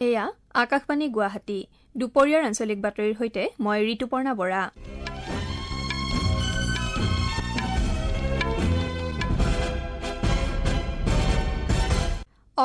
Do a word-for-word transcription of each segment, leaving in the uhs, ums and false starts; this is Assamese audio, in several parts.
এয়া আকাশবাণী গুৱাহাটী। দুপৰীয়াৰ আঞ্চলিক বাতৰিৰ সৈতে মই ঋতুপৰ্ণা বৰা।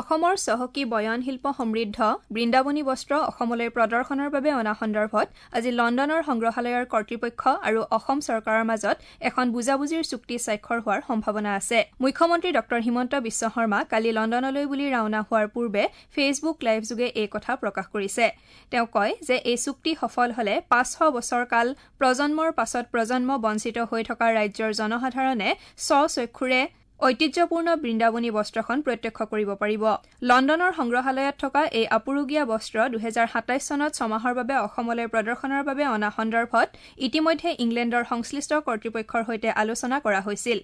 অসমৰ চহকী বয়ন শিল্প সমৃদ্ধ বৃন্দাবনী বস্ত্ৰ অসমলৈ প্ৰদৰ্শনৰ বাবে অনা সন্দৰ্ভত আজি লণ্ডনৰ সংগ্ৰহালয়ৰ কৰ্তৃপক্ষ আৰু অসম চৰকাৰৰ মাজত এখন বুজাবুজিৰ চুক্তি স্বাক্ষৰ হোৱাৰ সম্ভাৱনা আছে। মুখ্যমন্ত্ৰী ডঃ হিমন্ত বিশ্ব শৰ্মা কালি লণ্ডনলৈ বুলি ৰাওনা হোৱাৰ পূৰ্বে ফেচবুক লাইভযোগে এই কথা প্ৰকাশ কৰিছে। তেওঁ কয় যে এই চুক্তি সফল হলে পাঁচশ বছৰ কাল প্ৰজন্মৰ পাছত প্ৰজন্ম বঞ্চিত হৈ থকা ৰাজ্যৰ জনসাধাৰণে স্বচক্ষুৰে ঐতিহ্যপূৰ্ণ বৃন্দাবনী বস্ত্ৰখন প্ৰত্যক্ষ কৰিব পাৰিব। লণ্ডনৰ সংগ্ৰহালয়ত থকা এই আপুৰুগীয়া বস্ত্ৰ দুহেজাৰ সাতাইছ চনত ছমাহৰ বাবে অসমলৈ প্ৰদৰ্শনৰ বাবে অনা সন্দৰ্ভত ইতিমধ্যে ইংলেণ্ডৰ সংশ্লিষ্ট কৰ্তৃপক্ষৰ সৈতে আলোচনা কৰা হৈছিল।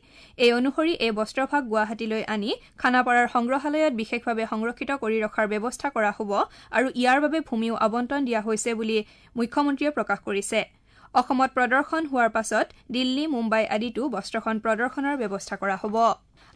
এই অনুসৰি এই বস্ত্ৰভাগ গুৱাহাটীলৈ আনি খানাপাৰাৰ সংগ্ৰহালয়ত বিশেষভাৱে সংৰক্ষিত কৰি ৰখাৰ ব্যৱস্থা কৰা হ'ব আৰু ইয়াৰ বাবে ভূমিও আবণ্টন দিয়া হৈছে বুলি মুখ্যমন্ত্ৰীয়ে প্ৰকাশ কৰিছে। অসমত প্ৰদৰ্শন হোৱাৰ পাছত দিল্লী, মুম্বাই আদিতো বস্ত্ৰখন প্ৰদৰ্শনৰ ব্যৱস্থা কৰা হ'ব।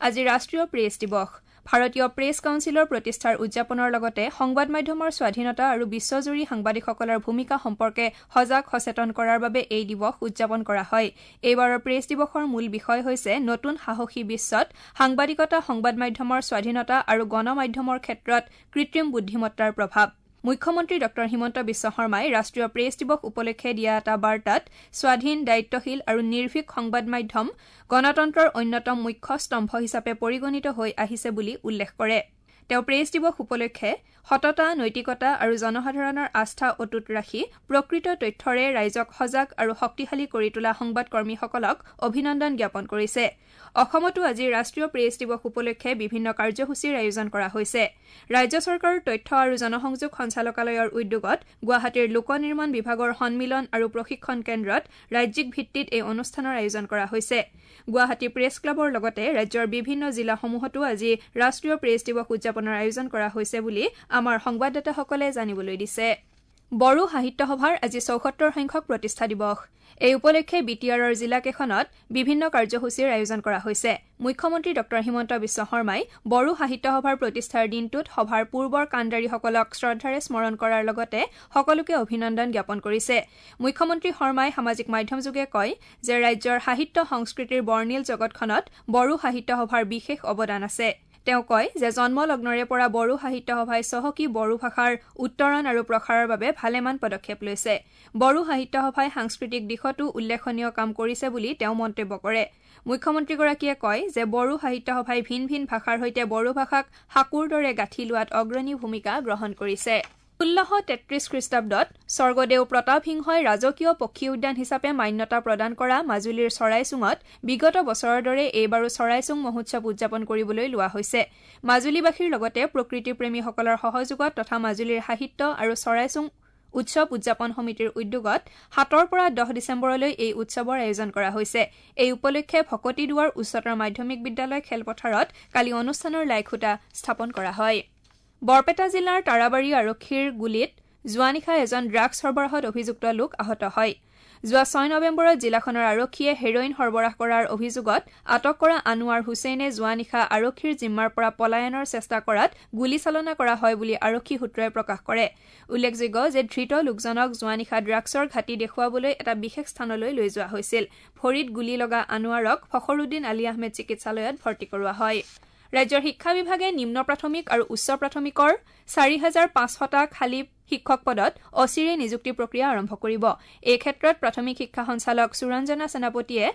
আজি ৰাষ্ট্ৰীয় প্ৰেছ দিৱস। ভাৰতীয় প্ৰেছ কাউন্সিলৰ প্ৰতিষ্ঠাৰ উদযাপনৰ লগতে সংবাদ মাধ্যমৰ স্বাধীনতা আৰু বিশ্বজুৰি সাংবাদিকসকলৰ ভূমিকা সম্পৰ্কে সজাগ সচেতন কৰাৰ বাবে এই দিৱস উদযাপন কৰা হয়। এইবাৰৰ প্ৰেছ দিৱসৰ মূল বিষয় হৈছে নতুন সাহসী বিশ্বত সাংবাদিকতা, সংবাদ মাধ্যমৰ স্বাধীনতা আৰু গণমাধ্যমৰ ক্ষেত্ৰত কৃত্ৰিম বুদ্ধিমত্তাৰ প্ৰভাৱ। মুখ্যমন্ত্ৰী ডঃ হিমন্ত বিশ্ব শৰ্মাই ৰাষ্ট্ৰীয় প্ৰেছ দিৱস উপলক্ষে দিয়া এটা বাৰ্তাত স্বাধীন, দায়িত্বশীল আৰু নিৰ্ভীক সংবাদ মাধ্যম গণতন্ত্ৰৰ অন্যতম মুখ্য স্তম্ভ হিচাপে পৰিগণিত হৈ আহিছে বুলি উল্লেখ কৰে। তেওঁ প্ৰেছ দিৱস উপলক্ষে সততা, নৈতিকতা আৰু জনসাধাৰণৰ আস্থা অটুট ৰাখি প্ৰকৃত তথ্যৰে ৰাইজক সজাগ আৰু শক্তিশালী কৰি তোলা সংবাদকৰ্মীসকলক অভিনন্দন জ্ঞাপন কৰিছে। অসমতো আজি ৰাষ্ট্ৰীয় প্ৰেছ দিৱস উপলক্ষে বিভিন্ন কাৰ্যসূচীৰ আয়োজন কৰা হৈছে। ৰাজ্য চৰকাৰৰ তথ্য আৰু জনসংযোগ সঞ্চালকালয়ৰ উদ্যোগত গুৱাহাটীৰ লোক নিৰ্মাণ বিভাগৰ সন্মিলন আৰু প্ৰশিক্ষণ কেন্দ্ৰত ৰাজ্যিক ভিত্তিত এই অনুষ্ঠানৰ আয়োজন কৰা হৈছে। গুৱাহাটী প্ৰেছ ক্লাবৰ লগতে ৰাজ্যৰ বিভিন্ন জিলাসমূহতো আজি ৰাষ্ট্ৰীয় প্ৰেছ দিৱস উদযাপনৰ আয়োজন কৰা হৈছে বুলি আমাৰ সংবাদদাতাসকলে জানিবলৈ দিছে। বড়ো সাহিত্য সভাৰ আজি চৌসত্তৰ সংখ্যক প্ৰতিষ্ঠা দিৱস। এই উপলক্ষে বি টি আৰৰ জিলাকেইখনত বিভিন্ন কাৰ্যসূচীৰ আয়োজন কৰা হৈছে। মুখ্যমন্ত্ৰী ডঃ হিমন্ত বিশ্ব শৰ্মাই বড়ো সাহিত্য সভাৰ প্ৰতিষ্ঠাৰ দিনটোত সভাৰ পূৰ্বৰ কাণ্ডাৰীসকলক শ্ৰদ্ধাৰে স্মৰণ কৰাৰ লগতে সকলোকে অভিনন্দন জ্ঞাপন কৰিছে। মুখ্যমন্ত্ৰী শৰ্মাই সামাজিক মাধ্যমযোগে কয় যে ৰাজ্যৰ সাহিত্য সংস্কৃতিৰ বৰ্ণিল জগতখনত বড়ো সাহিত্য সভাৰ বিশেষ অৱদান আছে। তেওঁ কয় যে জন্মলগ্নৰে পৰা বড়ো সাহিত্য সভাই চহকী বড়ো ভাষাৰ উত্তৰণ আৰু প্ৰসাৰৰ বাবে ভালেমান পদক্ষেপ লৈছে। বড়ো সাহিত্য সভাই সাংস্কৃতিক দিশতো উল্লেখনীয় কাম কৰিছে বুলি তেওঁ মন্তব্য কৰে। মুখ্যমন্ত্ৰীগৰাকীয়ে কয় যে বড়ো সাহিত্য সভাই ভিন ভিন ভাষাৰ সৈতে বড়ো ভাষাক সাঁকোৰ দৰে গাঁঠি লোৱাত অগ্ৰণী ভূমিকা গ্ৰহণ কৰিছে। ষোল্লশ তেত্ৰিশ খ্ৰীষ্টাব্দত স্বৰ্গদেউ প্ৰতাপ সিংহই ৰাজকীয় পক্ষী উদ্যান হিচাপে মান্যতা প্ৰদান কৰা মাজুলীৰ চৰাইচুঙত বিগত বছৰৰ দৰে এইবাৰো চৰাইচুং মহোৎসৱ উদযাপন কৰিবলৈ লোৱা হৈছে। মাজুলীবাসীৰ লগতে প্ৰকৃতিপ্ৰেমীসকলৰ সহযোগত তথা মাজুলীৰ সাহিত্য আৰু চৰাইচুং উৎসৱ উদযাপন সমিতিৰ উদ্যোগত সাতৰ পৰা দহ ডিচেম্বৰলৈ এই উৎসৱৰ আয়োজন কৰা হৈছে। এই উপলক্ষে ভকতিদুৱাৰ উচ্চতৰ মাধ্যমিক বিদ্যালয় খেলপথাৰত কালি অনুষ্ঠানৰ লাইখুঁটা স্থাপন কৰা হয়। বৰপেটা জিলাৰ তাৰাবাৰী আৰক্ষীৰ গুলীত যোৱা নিশা এজন ড্ৰাগছ সৰবৰাহত অভিযুক্ত লোক আহত হয়। যোৱা ছয় নৱেম্বৰত জিলাখনৰ আৰক্ষীয়ে হেৰইন সৰবৰাহ কৰাৰ অভিযোগত আটক কৰা আনোৱাৰ হুছেইনে যোৱা নিশা আৰক্ষীৰ জিম্মাৰ পৰা পলায়নৰ চেষ্টা কৰাত গুলীচালনা কৰা হয় বুলি আৰক্ষী সূত্ৰই প্ৰকাশ কৰে। উল্লেখযোগ্য যে ধৃত লোকজনক যোৱা নিশা ড্ৰাগছৰ ঘাটি দেখুৱাবলৈ এটা বিশেষ স্থানলৈ লৈ যোৱা হৈছিল। ভৰিত গুলী লগা আনোৱাৰক ফখৰুদ্দিন আলী আহমেদ চিকিৎসালয়ত ভৰ্তি কৰোৱা হয়। ৰাজ্যৰ শিক্ষা বিভাগে নিম্ন প্ৰাথমিক আৰু উচ্চ প্ৰাথমিকৰ চাৰি হাজাৰ পাঁচশটা খালী শিক্ষক পদত অচিৰেই নিযুক্তি প্ৰক্ৰিয়া আৰম্ভ কৰিব। এই ক্ষেত্ৰত প্ৰাথমিক শিক্ষা সঞ্চালক সুৰঞ্জনা সেনাপতিয়ে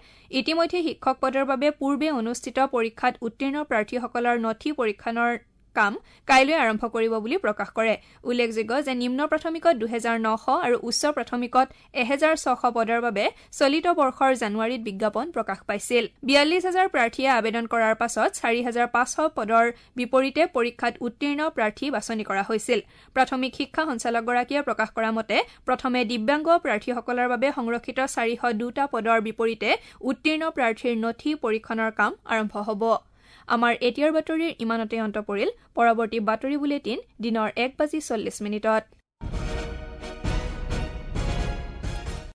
ইতিমধ্যে শিক্ষক পদৰ বাবে পূৰ্বে অনুষ্ঠিত পৰীক্ষাত উত্তীৰ্ণ প্ৰাৰ্থীসকলৰ নথি পৰীক্ষণৰ কাম কাইলৈ আৰম্ভ কৰিব বুলি প্ৰকাশ কৰে। উল্লেখযোগ্য যে নিম্ন প্ৰাথমিকত দুহেজাৰ নশ আৰু উচ্চ প্ৰাথমিকত এহেজাৰ ছশ পদৰ বাবে চলিত বৰ্ষৰ জানুৱাৰীত বিজ্ঞাপন প্ৰকাশ পাইছিল। বিয়াল্লিছ হাজাৰ প্ৰাৰ্থীয়ে আবেদন কৰাৰ পাছত চাৰি হাজাৰ পাঁচশ পদৰ বিপৰীতে পৰীক্ষাত উত্তীৰ্ণ প্ৰাৰ্থী বাছনি কৰা হৈছিল। প্ৰাথমিক শিক্ষা সঞ্চালকগৰাকীয়ে প্ৰকাশ কৰা মতে প্ৰথমে দিব্যাংগ প্ৰাৰ্থীসকলৰ বাবে সংৰক্ষিত চাৰিশ দুটা পদৰ বিপৰীতে উত্তীৰ্ণ প্ৰাৰ্থীৰ নথি পৰীক্ষণৰ কাম আৰম্ভ হ'ব। আমাৰ এতিয়াৰ বাতৰিৰ ইমানতে অন্ত পৰিল। পৰৱৰ্তী বাতৰি বুলেটিন দিনৰ এক বাজি চল্লিছ মিনিটত।